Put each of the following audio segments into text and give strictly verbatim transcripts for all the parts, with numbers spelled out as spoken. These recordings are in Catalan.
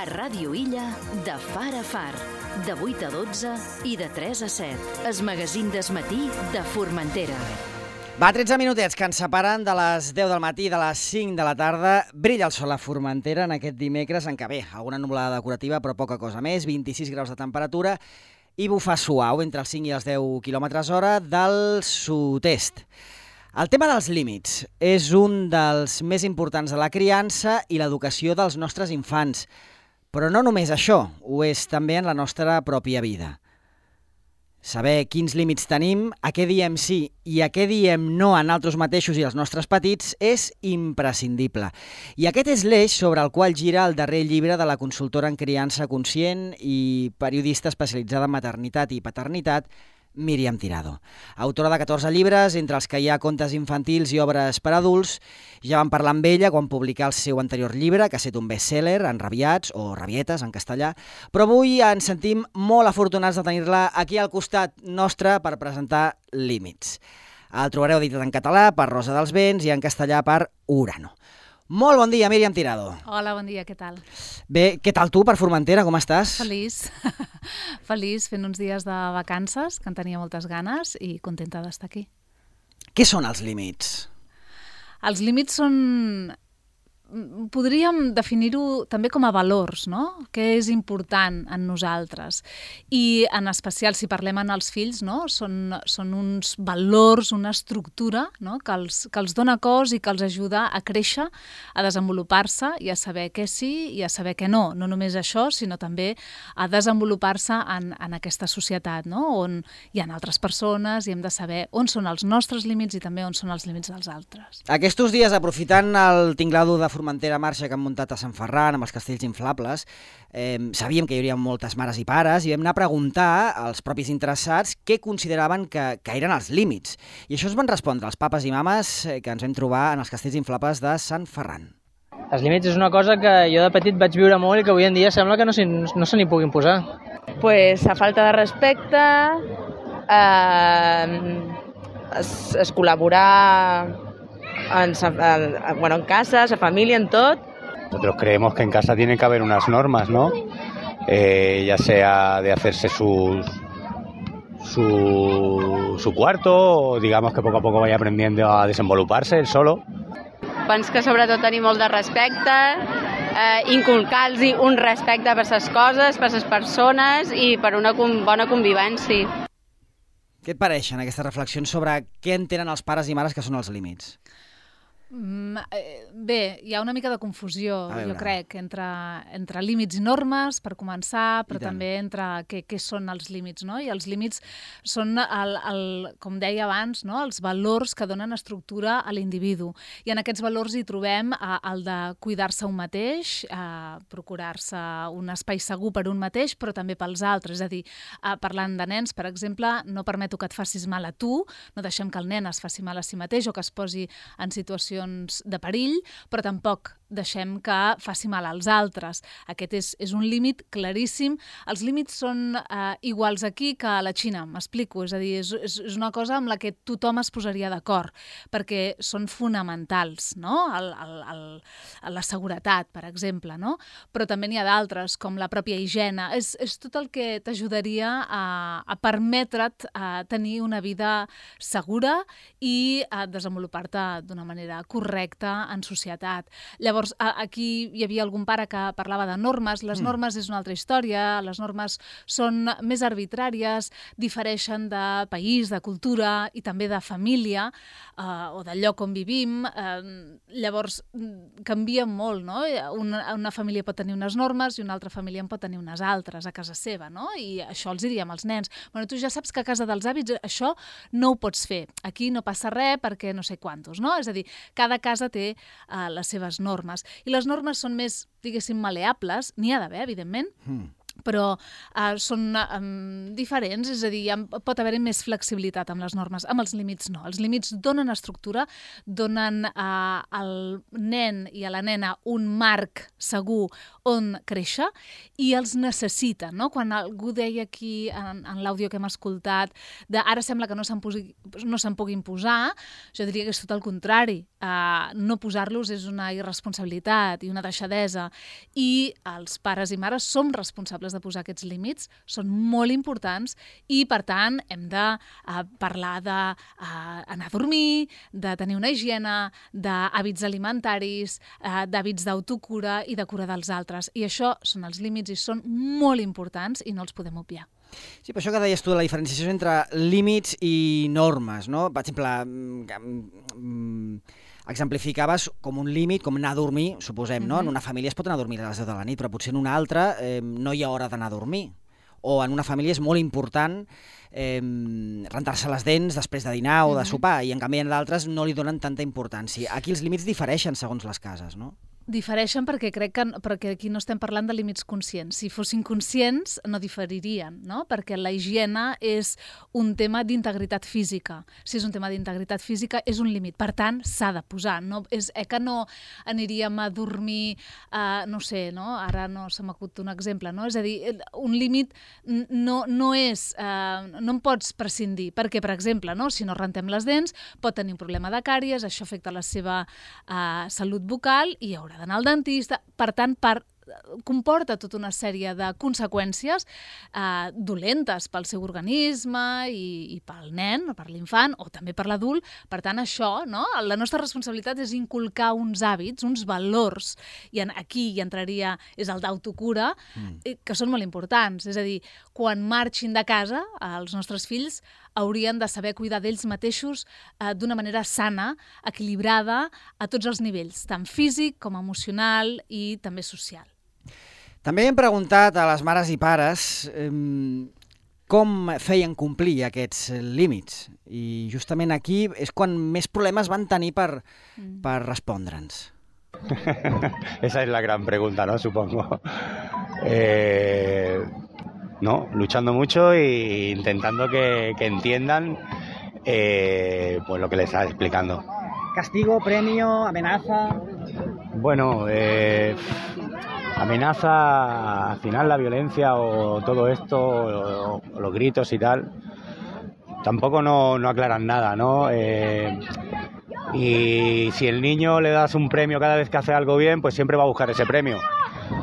A Ràdio Illa, de far a far, de vuit a dotze i de tres a set. Es magazín d'esmatí de Formentera. Va, tretze minutets que ens separen de les deu del matí i de les cinc de la tarda. Brilla el sol a Formentera en aquest dimecres, en què bé, alguna nuvolada decorativa, però poca cosa més, vint-i-sis graus de temperatura i bufa suau entre els cinc i els deu quilòmetres hora del sud-est. El tema dels límits és un dels més importants de la criança i l'educació dels nostres infants. Però no només això, ho és també en la nostra pròpia vida. Saber quins límits tenim, a què diem sí i a què diem no a nosaltres mateixos i als nostres petits és imprescindible. I aquest és l'eix sobre el qual gira el darrer llibre de la consultora en criança conscient i periodista especialitzada en maternitat i paternitat, Míriam Tirado. Autora de catorze llibres, entre els que hi ha contes infantils i obres per adults. Ja vam parlar amb ella quan publicà el seu anterior llibre, que ha estat un best-seller, Enrabiats, o Rabietes, en castellà, però avui ens sentim molt afortunats de tenir-la aquí al costat nostre per presentar Límits. El trobareu editat en català per Rosa dels Vents i en castellà per Urano. Molt bon dia, Míriam Tirado. Hola, bon dia, què tal? Bé, què tal tu per Formentera, com estàs? Feliç, feliç, fent uns dies de vacances, que en tenia moltes ganes i contenta d'estar aquí. Què són els límits? Els límits són... Podríem definir-ho també com a valors, no? Què és important en nosaltres. I en especial, si parlem en els fills, no? Són, són uns valors, una estructura, no? que, els, que els dona cos i que els ajuda a créixer, a desenvolupar-se i a saber què sí i a saber què no. No només això, sinó també a desenvolupar-se en, en aquesta societat, no? On hi ha altres persones i hem de saber on són els nostres límits i també on són els límits dels altres. Aquests dies, aprofitant el tinglado de Formentera Marxa que han muntat a Sant Ferran amb els castells inflables, eh, sabíem que hi hauria moltes mares i pares i vam anar a preguntar als propis interessats què consideraven que, que eren els límits. I això es van respondre els papes i mames que ens vam trobar en els castells inflables de Sant Ferran. Els límits és una cosa que jo de petit vaig viure molt i que avui en dia sembla que no, no se n'hi puguin posar. Pues a falta de respecte, eh, es, es col·laborar En, en, bueno, en casa, en familia, en todo. Nosotros creemos que en casa tiene que haber unas normas, ¿no? Eh, ya sea de hacerse sus, su, su cuarto o digamos que poco a poco vaya aprendiendo a desenvoluparse él solo. Penso que sobretot tenir molt de respecte, eh, inculcar-los un respecte per les coses, per les persones i per una bona convivència. Què et pareixen aquestes reflexions sobre què entenen els pares i mares que són els límits? Mm, bé, hi ha una mica de confusió, jo crec, entre, entre límits i normes, per començar, però també entre què, què són els límits, no? I els límits són, el, el, com deia abans, no? Els valors que donen estructura a l'individu. I en aquests valors hi trobem eh, el de cuidar-se un mateix, eh, procurar-se un espai segur per un mateix, però també pels altres. És a dir, eh, parlant de nens, per exemple, no permeto que et facis mal a tu, no deixem que el nen es faci mal a si mateix o que es posi en situació de perill, però tampoc deixem que faci mal als altres. Aquest és, és un límit claríssim. Els límits són eh, iguals aquí que a la Xina, m'explico. És a dir, és, és, és una cosa amb la que tothom es posaria d'acord, perquè són fonamentals, no? El, el, el, la seguretat, per exemple, no? Però també n'hi ha d'altres, com la pròpia higiene. És, és tot el que t'ajudaria a, a permetre't a tenir una vida segura i a desenvolupar-te d'una manera correcta en societat. Llavors, aquí hi havia algun pare que parlava de normes. Les normes és una altra història, les normes són més arbitràries, difereixen de país, de cultura i també de família eh, o del lloc on vivim. Eh, llavors, canvia molt, no? Una, una família pot tenir unes normes i una altra família en pot tenir unes altres a casa seva, no? I això els diríem als nens. Bueno, tu ja saps que a casa dels hàbits això no ho pots fer. Aquí no passa res perquè no sé quantos, no? És a dir, cada casa té uh, les seves normes. I les normes són més, diguéssim, maleables, n'hi ha d'haver, evidentment, mm. però uh, són um, diferents, és a dir, pot haver-hi més flexibilitat amb les normes, amb els límits no. Els límits donen estructura, donen uh, al nen i a la nena un marc segur on créixer i els necessiten, no? Quan algú deia aquí en, en l'àudio que hem escoltat de ara sembla que no se'n no se'n puguin posar, jo diria que és tot el contrari. Uh, no posar-los és una irresponsabilitat i una deixadesa i els pares i mares som responsables de posar aquests límits, són molt importants i, per tant, hem de uh, parlar d'anar uh, a dormir, de tenir una higiene, d'hàbits alimentaris, uh, d'hàbits d'autocura i de cura dels altres. I això són els límits i són molt importants i no els podem obviar. Sí, per això que deies tu, la diferenciació entre límits i normes, no? Per exemple, exemplificaves com un límit, com anar a dormir, suposem, no? En una família es pot anar a dormir a les deu de la nit, però potser en una altra eh, no hi ha hora d'anar a dormir. O en una família és molt important eh, rentar-se les dents després de dinar o de sopar, i en canvi en d'altres no li donen tanta importància. Aquí els límits difereixen segons les cases, no? Difereixen perquè crec que perquè aquí no estem parlant de límits conscients. Si fossin conscients, no diferirien, no? Perquè la higiene és un tema d'integritat física. Si és un tema d'integritat física, és un límit. Per tant, s'ha de posar. No, és eh, que no aniríem a dormir, eh, no sé, no? Ara no se m'acut un exemple, no? És a dir, un límit no, no és... Eh, no en pots prescindir. Perquè, per exemple, no? Si no rentem les dents, pot tenir un problema de càries, això afecta la seva eh, salut bucal i haurà d'anar al dentista. Per tant, per, comporta tota una sèrie de conseqüències eh, dolentes pel seu organisme i, i pel nen, o per l'infant, o també per l'adult. Per tant, això, no? La nostra responsabilitat és inculcar uns hàbits, uns valors, i en, aquí hi entraria, és el d'autocura, mm. que són molt importants. És a dir, quan marxin de casa, els nostres fills haurien de saber cuidar d'ells mateixos eh, d'una manera sana, equilibrada, a tots els nivells, tant físic com emocional i també social. També hem preguntat a les mares i pares eh, com feien complir aquests límits. I justament aquí és quan més problemes van tenir per, mm. per respondre'ns. Esa es la gran pregunta, ¿no? Supongo. Eh... No, luchando mucho e intentando que, que entiendan eh, pues lo que les estaba explicando. ¿Castigo, premio, amenaza? Bueno, eh, amenaza, al final la violencia o todo esto, o, o los gritos y tal, tampoco no, no aclaran nada, ¿no? Eh, y si el niño le das un premio cada vez que hace algo bien, pues siempre va a buscar ese premio.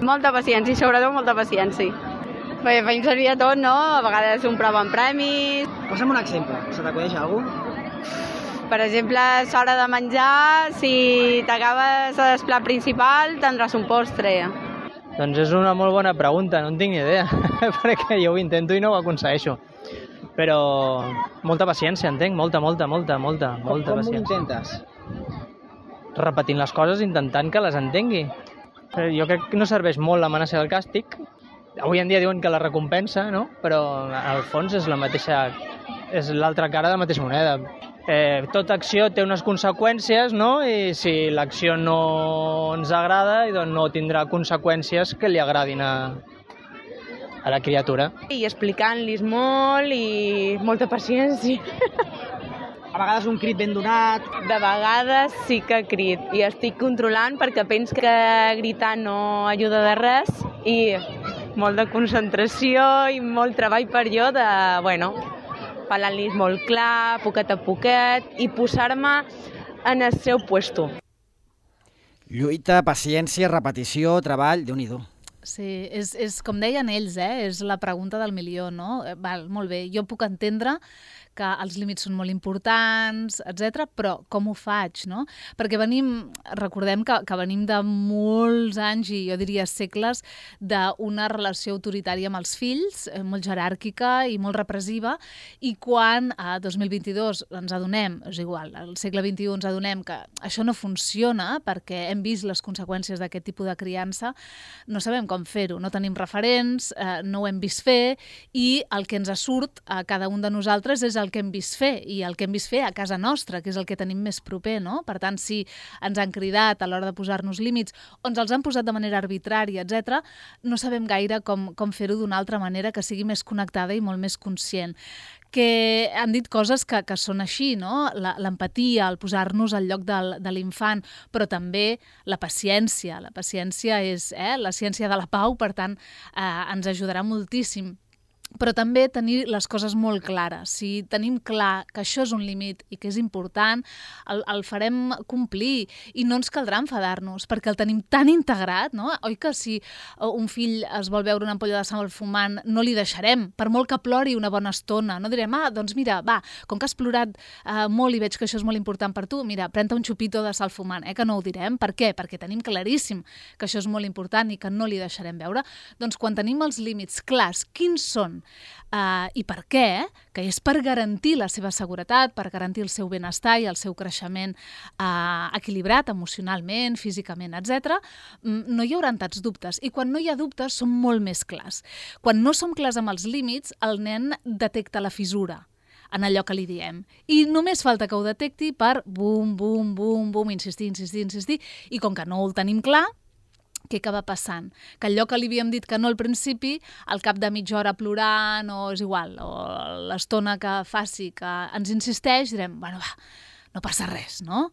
Molta paciència i sobretot molta paciència. Perquè feim servir a tot, no? A vegades un prova amb premis. Posa'm un exemple. Se t'acudeix algú? Per exemple, a l'hora de menjar, si t'acabes el plat principal, tindràs un postre. Doncs és una molt bona pregunta, no en tinc ni idea, perquè jo ho intento i no ho aconsegueixo. Però molta paciència, entenc, molta, molta, molta, molta, molta com, paciència. Com ho intentes? Repetint les coses, intentant que les entengui. Jo crec que no serveix molt l'amenaça del càstig. Avui en dia diuen que la recompensa, no? Però al fons és la mateixa, és l'altra cara de la mateixa moneda. Eh, tota acció té unes conseqüències, no? I si l'acció no ens agrada, doncs no tindrà conseqüències que li agradin a, a la criatura. I explicant-los molt i molta paciència. A vegades un crit ben donat. De vegades sí que crit i estic controlant perquè penso que gritar no ajuda de res i molt de concentració i molt treball per jo de, bueno, parlant-los molt clar, poquet a poquet i posar-me en el seu puesto. Lluita, paciència, repetició, treball, Déu-n'hi-do. Sí, és, és com deien ells, eh? És la pregunta del milió, no? Val, molt bé, jo puc entendre que els límits són molt importants, etcètera, però com ho faig, no? Perquè venim, recordem que, que venim de molts anys, i jo diria segles, d'una relació autoritària amb els fills, molt jeràrquica i molt repressiva, i quan a dos mil vint-i-dos ens adonem, és igual, al segle vint-i-u ens adonem que això no funciona perquè hem vist les conseqüències d'aquest tipus de criança, no sabem com fer-ho, no tenim referents, eh, no ho hem vist fer, i el que ens surt a cada un de nosaltres és el el que hem vist fer, i el que hem vist fer a casa nostra, que és el que tenim més proper, no? Per tant, si ens han cridat a l'hora de posar-nos límits, o ens els han posat de manera arbitrària, etcètera, no sabem gaire com, com fer-ho d'una altra manera que sigui més connectada i molt més conscient. Que han dit coses que, que són així, no? L'empatia, el posar-nos al lloc del, de l'infant, però també la paciència. La paciència és eh, la ciència de la pau, per tant, eh, ens ajudarà moltíssim. Però també tenir les coses molt clares. Si tenim clar que això és un límit i que és important, el, el farem complir i no ens caldrà enfadar-nos perquè el tenim tan integrat, no? Oi que si un fill es vol veure una ampolla de sal fumant, no li deixarem, per molt que plori una bona estona. No direm, ah, doncs mira, va, com que has plorat eh, molt i veig que això és molt important per tu, mira, pren-te un xupito de sal fumant, eh, que no ho direm. Per què? Perquè tenim claríssim que això és molt important i que no li deixarem veure. Doncs quan tenim els límits clars, quins són Uh, i per què, que és per garantir la seva seguretat, per garantir el seu benestar i el seu creixement uh, equilibrat emocionalment, físicament, etcètera, no hi haurà tants dubtes. I quan no hi ha dubtes són molt més clars. Quan no som clars amb els límits, el nen detecta la fissura en allò que li diem. I només falta que ho detecti per bum, bum, bum, bum, insistir, insistir, insistir, i com que no el tenim clar, què acaba passant? Que allò que li havíem dit que no al principi, al cap de mitja hora plorant, o és igual, o l'estona que faci que ens insisteix, direm, bueno, va, no passa res, no?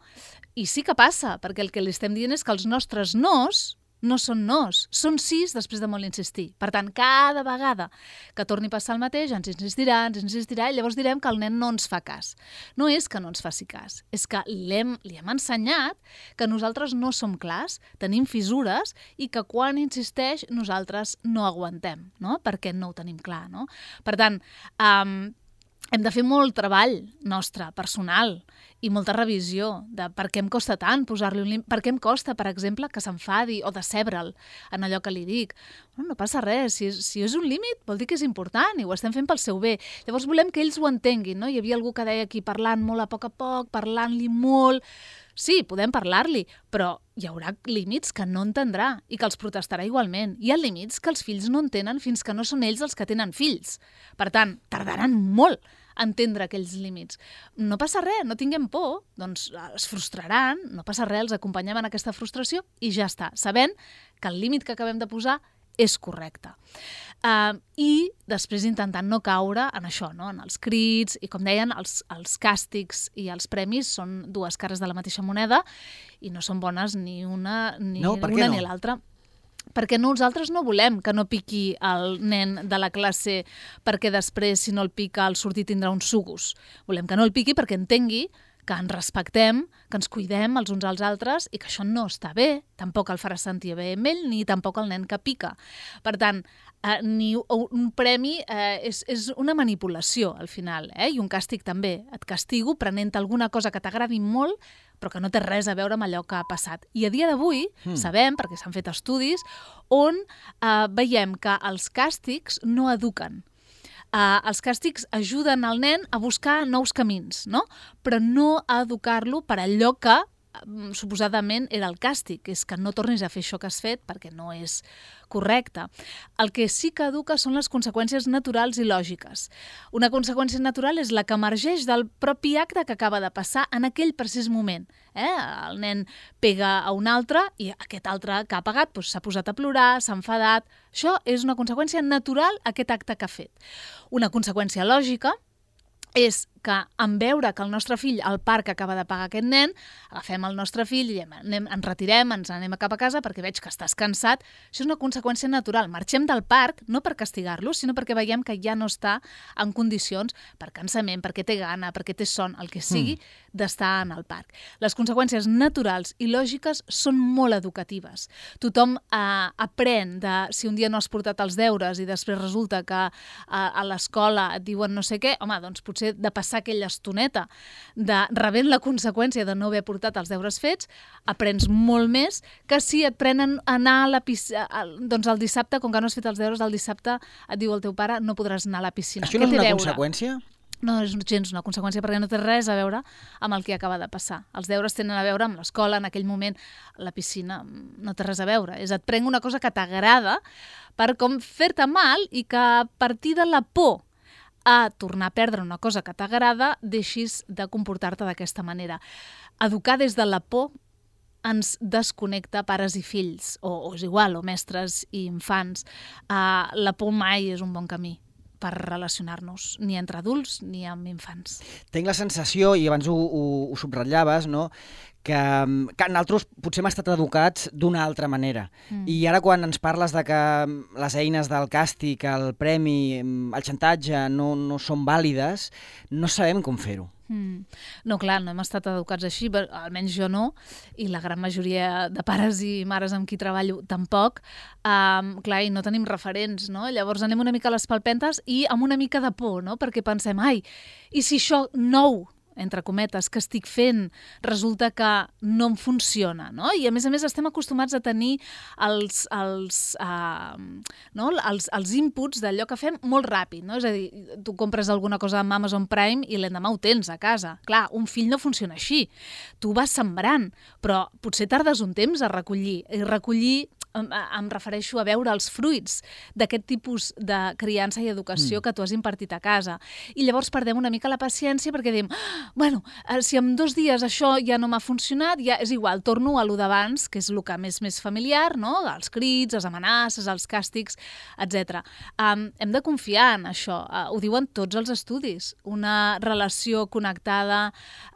I sí que passa, perquè el que li estem dient és que els nostres nos no són nos, són sis després de molt insistir. Per tant, cada vegada que torni a passar el mateix, ens insistirà, ens insistirà, i llavors direm que el nen no ens fa cas. No és que no ens faci cas, és que li hem, li hem ensenyat que nosaltres no som clars, tenim fissures, i que quan insisteix nosaltres no aguantem, no? Perquè no ho tenim clar, no? Per tant, um, hem de fer molt treball nostre, personal, i molta revisió de per què em costa tant posar-li un límit, per què em costa, per exemple, que s'enfadi o decebre'l en allò que li dic. Bueno, no passa res, si és, si és un límit vol dir que és important i ho estem fent pel seu bé. Llavors volem que ells ho entenguin, no? Hi havia algú que deia aquí parlant molt a poc a poc, parlant-li molt. Sí, podem parlar-li, però hi haurà límits que no entendrà i que els protestarà igualment. Hi ha límits que els fills no entenen fins que no són ells els que tenen fills. Per tant, tardaran molt a entendre aquells límits. No passa res, no tinguem por, doncs es frustraran, no passa res, els acompanyem en aquesta frustració i ja està, sabent que el límit que acabem de posar és correcte. Uh, I després intentant no caure en això, no? En els crits, i com deien, els, els càstigs i els premis són dues cares de la mateixa moneda i no són bones ni una ni, no, una no? ni l'altra. Perquè nosaltres no volem que no piqui el nen de la classe perquè després, si no el pica, al sortir tindrà uns sugus. Volem que no el piqui perquè entengui que ens respectem, que ens cuidem els uns als altres i que això no està bé, tampoc el farà sentir bé amb ell, ni tampoc el nen que pica. Per tant, eh, ni un premi eh, és, és una manipulació al final, eh? I un càstig també. Et castigo prenent alguna cosa que t'agradi molt, però que no té res a veure amb allò que ha passat. I a dia d'avui mm. sabem, perquè s'han fet estudis, on eh, veiem que els càstigs no eduquen. Uh, els càstigs ajuden al nen a buscar nous camins, no? Però no a educar-lo per allò que um, suposadament era el càstig, que és que no tornis a fer això que has fet perquè no és correcte. El que sí que educa són les conseqüències naturals i lògiques. Una conseqüència natural és la que emergeix del propi acte que acaba de passar en aquell precís moment. Eh? El nen pega a un altre i aquest altre que ha pegat doncs, s'ha posat a plorar, s'ha enfadat. Això és una conseqüència natural a aquest acte que ha fet. Una conseqüència lògica és que en veure que el nostre fill al parc acaba de pagar aquest nen, agafem el nostre fill i anem, ens retirem, ens anem cap a casa perquè veig que estàs cansat. Això és una conseqüència natural. Marxem del parc no per castigar-lo, sinó perquè veiem que ja no està en condicions per cansament, perquè té gana, perquè té son, el que sigui, mm. d'estar en el parc. Les conseqüències naturals i lògiques són molt educatives. Tothom eh, aprèn de si un dia no has portat els deures i després resulta que eh, a l'escola et diuen no sé què, home, doncs potser de passar aquella estoneta de rebent la conseqüència de no haver portat els deures fets, aprens molt més que si et prenen anar a la piscina, doncs el dissabte, com que no has fet els deures, el dissabte et diu el teu pare no podràs anar a la piscina. Això no és una conseqüència? No és gens una conseqüència perquè no té res a veure amb el que acaba de passar. Els deures tenen a veure amb l'escola, en aquell moment la piscina no té res a veure. És et prenc una cosa que t'agrada per com fer-te mal i que a partir de la por a tornar a perdre una cosa que t'agrada, deixis de comportar-te d'aquesta manera. Educar des de la por ens desconnecta pares i fills, o, o és igual, o mestres i infants. Uh, la por mai és un bon camí per relacionar-nos, ni entre adults ni amb infants. Tinc la sensació, i abans ho, ho, ho subratllaves, no?, que, que nosaltres potser hem estat educats d'una altra manera. Mm. I ara quan ens parles de que les eines del càstig, el premi, el xantatge no, no són vàlides, no sabem com fer-ho. Mm. No, clar, no hem estat educats així, almenys jo no, i la gran majoria de pares i mares amb qui treballo tampoc. Um, clar, i no tenim referents, no? Llavors anem una mica a les palpentes i amb una mica de por, no? Perquè pensem, ai, i si això nou, entre cometes, que estic fent, resulta que no em funciona, no? I a més a més estem acostumats a tenir els, els, uh, no? els, els inputs d'allò que fem molt ràpid, no? És a dir, tu compres alguna cosa amb Amazon Prime i l'endemà ho tens a casa. Clar, un fill no funciona així. Tu vas sembrant, però potser tardes un temps a recollir. I recollir em, em refereixo a veure els fruits d'aquest tipus de criança i educació mm. que tu has impartit a casa. I llavors perdem una mica la paciència perquè diem, ah, bueno, si en dos dies això ja no m'ha funcionat, ja és igual, torno a lo d'abans, que és el que més més familiar, no? Els crits, les amenaces, els càstigs, etcètera. Um, hem de confiar en això. Uh, ho diuen tots els estudis. Una relació connectada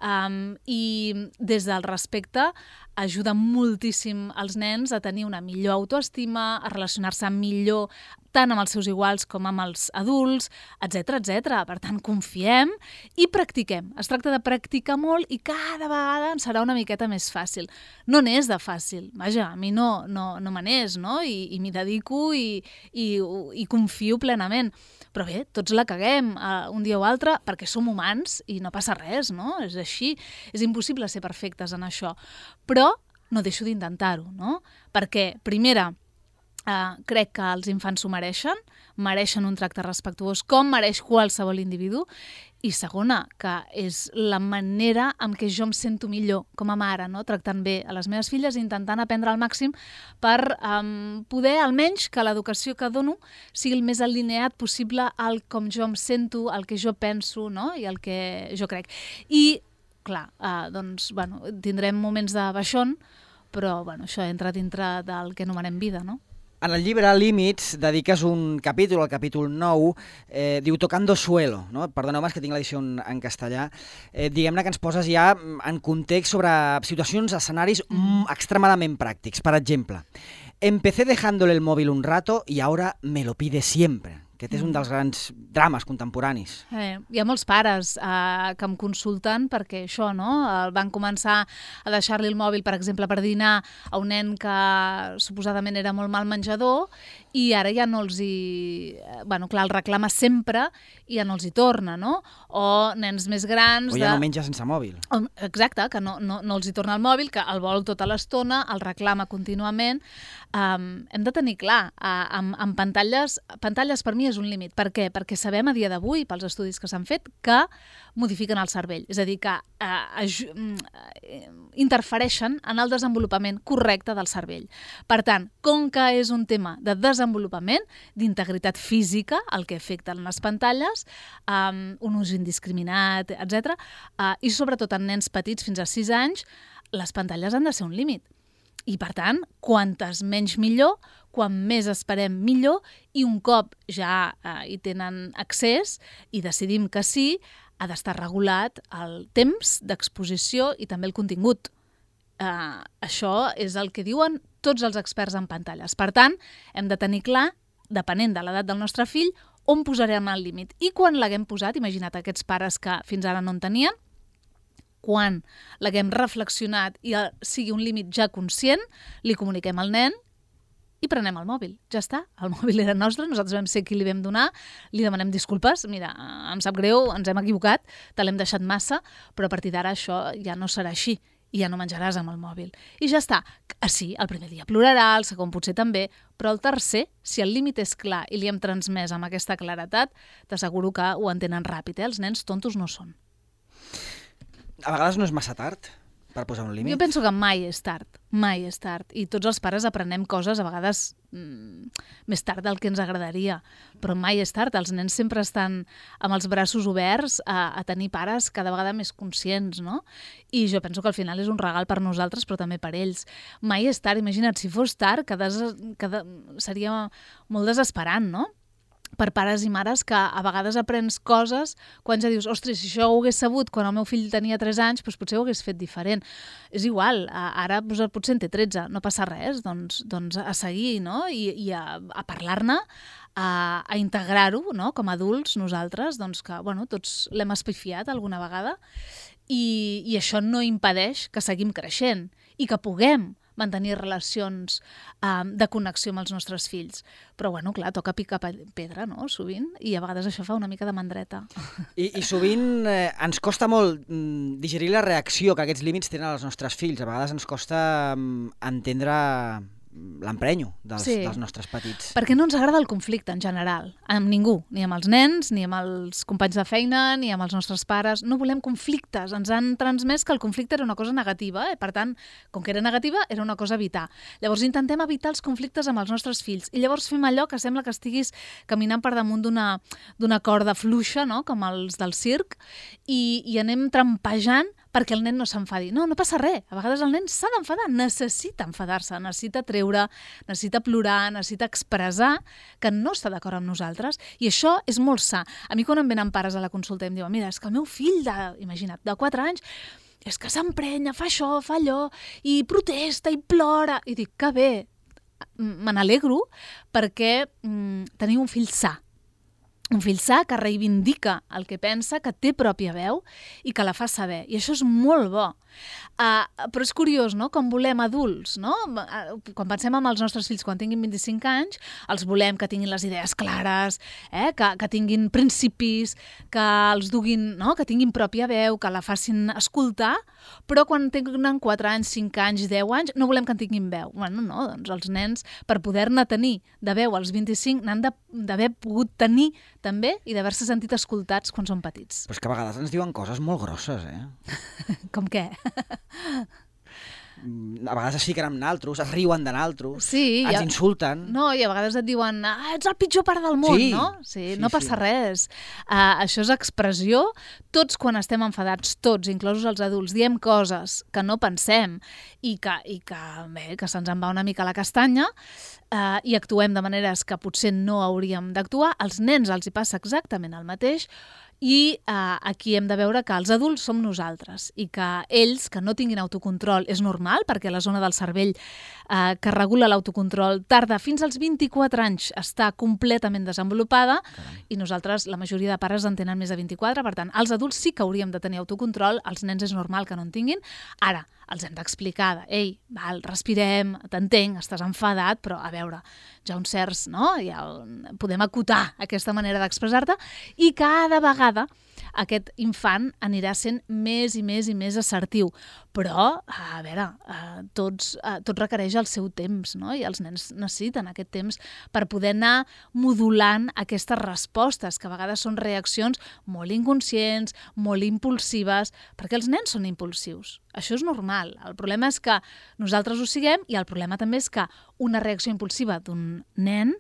um, i des del respecte ajuda moltíssim als nens a tenir una millor autoestima, a relacionar-se millor tant amb els seus iguals com amb els adults, etcètera, etcètera. Per tant, confiem i practiquem. Es tracta de practicar molt i cada vegada ens serà una miqueta més fàcil. No n'és de fàcil. Vaja, a mi no, no, no me n'és, no? I, i m'hi dedico i, i, i confio plenament. Però bé, tots la caguem uh, un dia o altre perquè som humans i no passa res, no? És així. És impossible ser perfectes en això. Però no deixo d'intentar-ho, no? Perquè, primera, Uh, crec que els infants s'ho mereixen, mereixen un tracte respectuós com mereix qualsevol individu, i segona, que és la manera en què jo em sento millor com a mare, no? Tractant bé a les meves filles i intentant aprendre al màxim per um, poder, almenys, que l'educació que dono sigui el més alineat possible al com jo em sento, al que jo penso, no? I al que jo crec. I, clar, uh, doncs, bueno, tindrem moments de baixón, però bueno, això entra dintre del que anomenem vida, no? En el llibre Límits dediques un capítol, el capítol nou, eh, diu Tocando Suelo, no? Perdoneu-me, és que tinc l'edició en, en castellà. Eh, diguem-ne que ens poses ja en context sobre situacions, escenaris mm, extremadament pràctics. Per exemple, empecé dejándole el móvil un rato y ahora me lo pide siempre. Aquest és un dels grans drames contemporanis. Eh, hi ha molts pares eh, que em consulten perquè això, no? El van començar a deixar-li el mòbil, per exemple, per dinar a un nen que suposadament era molt mal menjador i ara ja no els hi... Bueno, clar, el reclama sempre i ja no els hi torna, no? O nens més grans... O ja de... no menja sense mòbil. Exacte, que no, no, no els hi torna el mòbil, que el vol tota l'estona, el reclama contínuament. Um, hem de tenir clar, uh, amb, amb pantalles, pantalles per mi és un límit. Per què? Perquè sabem a dia d'avui, pels estudis que s'han fet, que modifiquen el cervell. És a dir, que uh, uh, interfereixen en el desenvolupament correcte del cervell. Per tant, com que és un tema de desenvolupament, d'integritat física, el que afecten les pantalles, um, un ús indiscriminat, etcètera, uh, i sobretot en nens petits fins a sis anys, les pantalles han de ser un límit. I, per tant, quantes menys millor, quan més esperem millor, i un cop ja eh, hi tenen accés i decidim que sí, ha d'estar regulat el temps d'exposició i també el contingut. Eh, això és el que diuen tots els experts en pantalles. Per tant, hem de tenir clar, depenent de l'edat del nostre fill, on posarem el límit. I quan l'haguem posat, imagina't aquests pares que fins ara no en tenien, quan l'haguem reflexionat i sigui un límit ja conscient, li comuniquem al nen i prenem el mòbil. Ja està, el mòbil era nostre, nosaltres vam ser qui li vam donar, li demanem disculpes, mira, em sap greu, ens hem equivocat, te l'hem deixat massa, però a partir d'ara això ja no serà així i ja no menjaràs amb el mòbil. I ja està. Sí, el primer dia plorarà, el segon potser també, però el tercer, si el límit és clar i li hem transmès amb aquesta claretat, t'asseguro que ho entenen ràpid, eh? Els nens tontos no són. A vegades no és massa tard per posar un límit? Jo penso que mai és tard, mai és tard. I tots els pares aprenem coses, a vegades mm, més tard del que ens agradaria, però mai és tard. Els nens sempre estan amb els braços oberts a, a tenir pares cada vegada més conscients, no? I jo penso que al final és un regal per nosaltres, però també per ells. Mai és tard, imagina't, si fos tard, que des, que de, seria molt desesperant, no? Per pares i mares que a vegades aprens coses quan ja dius, ostres, si això ho hagués sabut quan el meu fill tenia tres anys, doncs potser ho hagués fet diferent. És igual, ara potser en té tretze, no passa res, doncs, doncs a seguir, no? I, i a, a parlar-ne, a, a integrar-ho, no? Com a adults nosaltres, doncs que bueno, tots l'hem espifiat alguna vegada i, i això no impedeix que seguim creixent i que puguem mantenir relacions um, de connexió amb els nostres fills. Però, bueno, clar, toca picar pedra, no?, sovint, i a vegades això fa una mica de mandreta. I, i sovint eh, ens costa molt mm, digerir la reacció que aquests límits tenen els nostres fills. A vegades ens costa mm, entendre l'emprenyo dels, sí. dels nostres petits. Perquè no ens agrada el conflicte en general, amb ningú, ni amb els nens, ni amb els companys de feina, ni amb els nostres pares. No volem conflictes. Ens han transmès que el conflicte era una cosa negativa, eh? Per tant, com que era negativa, era una cosa a evitar. Llavors intentem evitar els conflictes amb els nostres fills i llavors fem allò que sembla que estiguis caminant per damunt d'una d'una corda fluixa, no?, com els del circ, i, i anem trampejant perquè el nen no s'enfadi. No, no passa res. A vegades el nen s'ha d'enfadar, necessita enfadar-se, necessita treure, necessita plorar, necessita expressar que no està d'acord amb nosaltres, i això és molt sa. A mi quan em venen pares a la consulta i em diuen, mira, és que el meu fill de, imagina't, de quatre anys, és que s'emprenya, fa això, fa allò, i protesta, i plora, i dic, que bé, me n'alegro perquè mm, teniu un fill sa. Un fill sa que reivindica el que pensa, que té pròpia veu i que la fa saber. I això és molt bo. Uh, però és curiós, no?, com volem adults, no? Uh, quan pensem en els nostres fills quan tinguin vint-i-cinc anys, els volem que tinguin les idees clares, eh? que, que tinguin principis, que els duguin, no?, que tinguin pròpia veu, que la facin escoltar, però quan tenen quatre anys, cinc anys, deu anys, no volem que en tinguin veu. Bueno, no, doncs els nens, per poder-ne tenir de veu als vint-i-cinc, n'han d'haver pogut tenir també i d'haver-se sentit escoltats quan són petits. Però és que a vegades ens diuen coses molt grosses, eh? Com què? A vegades es fiquen amb naltros, es riuen de naltros, sí, ens ha... insulten. No, i a vegades et diuen, ah, ets el pitjor pare del món, sí, no? Sí, sí, no passa sí. res. Uh, això és expressió. Tots quan estem enfadats, tots, inclosos els adults, diem coses que no pensem i que, i que, bé, que se'ns en va una mica la castanya uh, i actuem de maneres que potser no hauríem d'actuar. Als nens els hi passa exactament el mateix. I eh, aquí hem de veure que els adults som nosaltres i que ells, que no tinguin autocontrol, és normal, perquè la zona del cervell eh, que regula l'autocontrol tarda fins als vint-i-quatre anys està completament desenvolupada. Carai. I nosaltres, la majoria de pares en tenen més de vint-i-quatre, per tant, els adults sí que hauríem de tenir autocontrol, els nens és normal que no en tinguin. Ara, els hem d'explicar, ei, val, respirem, t'entenc, estàs enfadat, però a veure, ja uns certs, no? Ja podem acotar aquesta manera d'expressar-te i cada vegada aquest infant anirà sent més i més i més assertiu. Però, a veure, tots, tot requereix el seu temps, no? I els nens necessiten aquest temps per poder anar modulant aquestes respostes, que a vegades són reaccions molt inconscients, molt impulsives, perquè els nens són impulsius. Això és normal. El problema és que nosaltres ho siguem i el problema també és que una reacció impulsiva d'un nen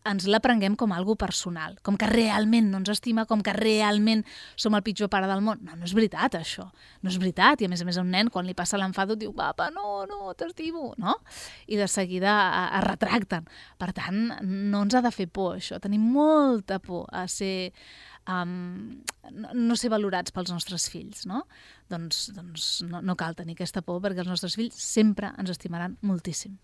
ens la prenguem com algo personal, com que realment no ens estima, com que realment som el pitjor pare del món. No, no és veritat, això. No és veritat. I a més a més a un nen, quan li passa l'enfado, diu, papa, no, no, t'estimo, no? I de seguida es retracten. Per tant, no ens ha de fer por, això. Tenim molta por a ser... Um, no, no ser valorats pels nostres fills, no? Doncs, doncs no, no cal tenir aquesta por, perquè els nostres fills sempre ens estimaran moltíssim.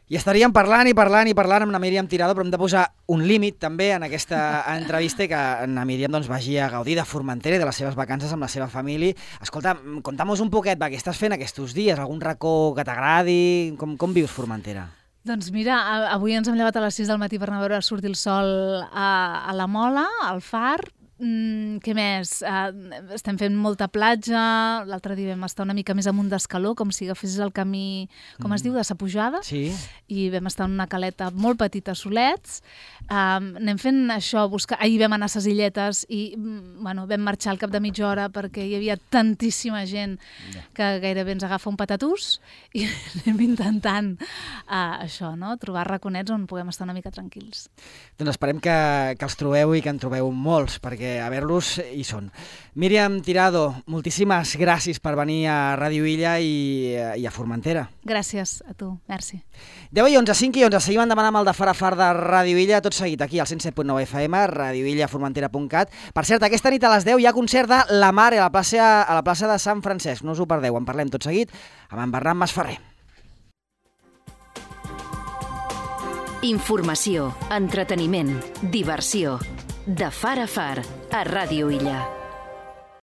I estaríem parlant i parlant i parlant amb na Míriam Tirado, però hem de posar un límit també en aquesta entrevista, que na Míriam doncs, vagi a gaudir de Formentera i de les seves vacances amb la seva família. Escolta, conta'm-nos un poquet, va, què estàs fent aquests dies? Algun racó que t'agradi? Com, com vius Formentera? Doncs mira, avui ens hem llevat a les sis del matí per anar a veure sortir el sol a, a la Mola, al Far. Mm, què més? Uh, estem fent molta platja, l'altre dia vam estar una mica més amunt d'escaló, com si agafessis el camí, com mm. es diu, de sa pujada, sí. I vam estar en una caleta molt petita a Solets. Um, anem fent això, buscar... ahir vam anar a ses illetes i bueno, vam marxar al cap de mitja hora perquè hi havia tantíssima gent que gairebé ens agafa un patatús i anem intentant uh, això, no? Trobar raconets on puguem estar una mica tranquils. Doncs esperem que, que els trobeu i que en trobeu molts, perquè a veure-los hi són. Míriam Tirado, moltíssimes gràcies per venir a Ràdio Illa i, i a Formentera. Gràcies a tu, merci. deu i onze, cinc i onze, seguim endavant amb el de Far a Far de Ràdio Illa, tot seguit aquí al cent set punt nou F M, radioillaformentera punt cat. Per cert, aquesta nit a les deu hi ha concert de La Mare a la plaça, a la plaça de Sant Francesc, no us ho perdeu, en parlem tot seguit amb en Bernat Masferrer. Informació, entreteniment, diversió. De Far a Far, a Ràdio Illa.